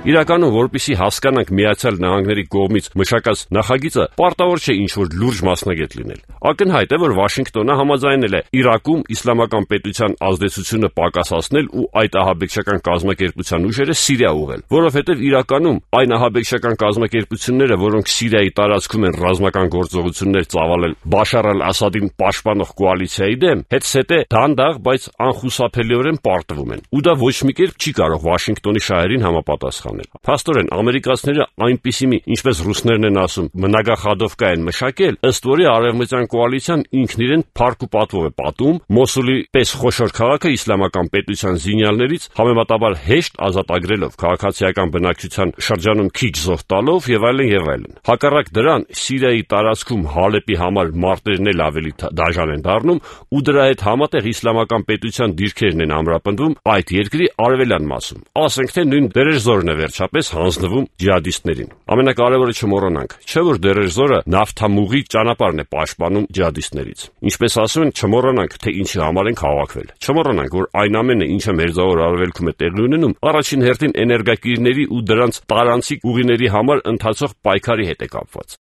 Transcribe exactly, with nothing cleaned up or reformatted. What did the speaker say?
Իրականում, որպեսզի հասկանանք Միացյալ Նահանգների կողմից մշակած նախագիծը, պարտավոր չէ ինչ-որ լուրջ մասնագետ լինել։ Ակնհայտ է, որ Վաշինգտոնը համաձայնել է Իրաքում իսլամական պետության ազդեցությունը պակասացնել ու այդ ահաբեկչական կազմակերպության ուժերը Սիրիա ուղղել, որովհետև իրականում այն ահաբեկչական կազմակերպությունները, որոնք Սիրիայի տարածքում են ռազմական գործողություններ ծավալել Բաշար al-Ասադին պաշտպանող կոալիցիայի դեմ, հետսետե դանդաղ, բայց անխուսափելիորեն պարտվում են, ու դա ոչ մի կերպ չի կարող Վաշինգտոնի շահերին համապատասխանել։ Փաստորեն, ամերիկացիները այնպիսի մի, ինչպես ռուսներն են ասում, մնագախադովկա են մշակել, ըստ որի արևմտյան կոալիցիան ինքն իրեն փառք ու պատվով է պատում Մոսուլի պես խոշոր քաղաքը իսլամական պետության զինյալներից համեմատաբար հեշտ ազատագրելով, քաղաքացիական բնակչության շրջանում քիչ զոհ տալով եւ այլն եւ այլն։ Հակառակ դրան, Սիրիայի տարածքում Հալեպի համար մարտերն էլ ավելի դաժան են դառնում ու դրա հետ համատեղ իսլամական պետության դիրքերն են ամրապնդվում այդ երկրի արևելյան մասում։ Ասենք թե նույն Դերեժզորն է վերջապես հանձնվում ջիհադիստներին։ Ամենակարևորը չմոռանանք, չէ՞ որ Դերեժզորը նավթամուղի ճանապարհն է պաշտպանում ջիհադիստներից։ Ինչպես ասում են, չմոռանանք, թե ինչի համար ենք հավաքվել։ Չմոռանանք, որ այն ամենը, ինչը Մերձավոր Արևելքում է տեղի ունենում, առաջին հերթին էներգակիրների ու դրանց տարանցիկ ուղիների համար ընթացող պայքարի հետ է կապված։